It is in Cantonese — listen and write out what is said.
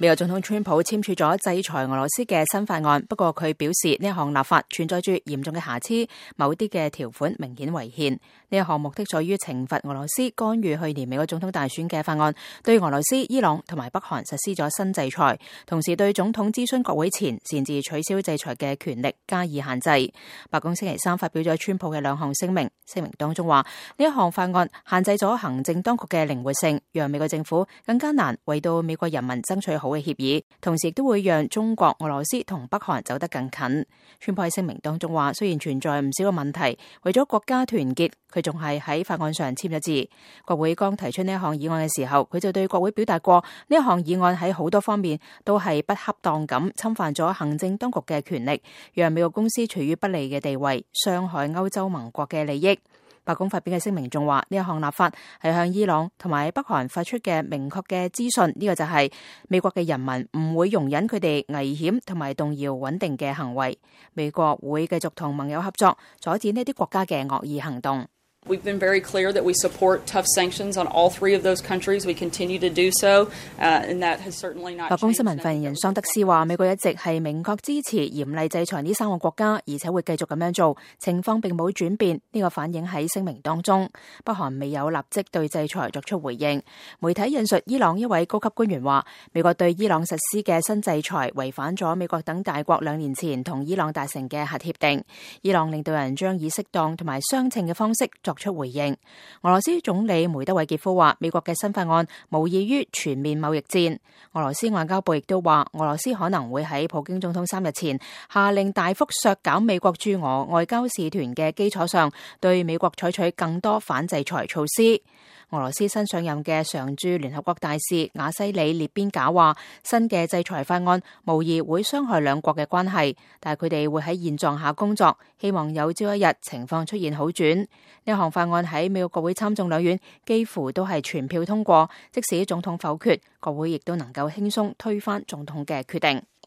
美國總統川普簽署咗制裁俄羅斯嘅新法案，不過佢表示呢一項立法存在住嚴重嘅瑕疵，某啲嘅條款明顯違憲。呢一項目的在於懲罰俄羅斯干預去年美國總統大選嘅法案，對俄羅斯、伊朗同埋北韓實施咗新制裁，同時對總統諮詢國會前擅自取消制裁嘅權力加以限制。白宮星期三發表咗川普嘅兩項聲明，聲明當中話呢一項法案限制咗行政當局嘅靈活性，讓美國政府更加難為到美國人民爭取好嘅協議，同時亦都會讓中國、俄羅斯同北韓走得更近。川普喺聲明當中話，雖然存在唔少嘅問題，為咗國家團結，佢仲係喺法案上簽咗字。國會剛提出呢一項議案嘅時候，佢就對國會表達過，呢一項議案喺好多方面都係不恰當咁侵犯咗行政當局嘅權力，讓美國公司處於不利嘅地位，傷害歐洲盟國嘅利益。白宮發表嘅聲明仲話，呢一項立法係向伊朗同埋北韓發出嘅明確嘅資訊，呢個就係美國嘅人民唔會容忍佢哋危險同埋動搖穩定嘅行為。美國會繼續同盟友合作，阻止呢啲國家嘅惡意行動。We've been very clear that we support tough sanctions on all three of those countries. We continue to do so, and that has certainly not changed. 白宮新聞發言人桑德斯話，美國一直係明確支持嚴厲制裁呢3個國家，而且會繼續咁樣做，情況並冇轉變。呢個反映喺聲明當中。北韓未有立即對制裁作出回應。媒體引述伊朗一位高級官員話，美國對伊朗實施嘅新制裁違反咗美國等大國2年前同伊朗達成嘅核協定。伊朗領導人將以適當同埋相稱嘅方式作出回應。俄羅斯總理梅德韋傑夫話，美國嘅新法案無異於全面貿易戰。俄羅斯外交部亦都話，俄羅斯可能會喺普京總統3日前下令大幅削減美國駐俄外交使團嘅基礎上，對美國採取更多反制裁措施。俄羅斯新上任嘅常駐聯合國大使瓦西里列邊賈話，新嘅制裁法案無疑會傷害兩國嘅關係，但係佢哋會喺現狀下工作，希望有朝一日情況出現好轉。呢項法案喺美國國會參眾兩院幾乎都係全票通過，即使總統否決，國會亦都能夠輕鬆推翻總統嘅決定。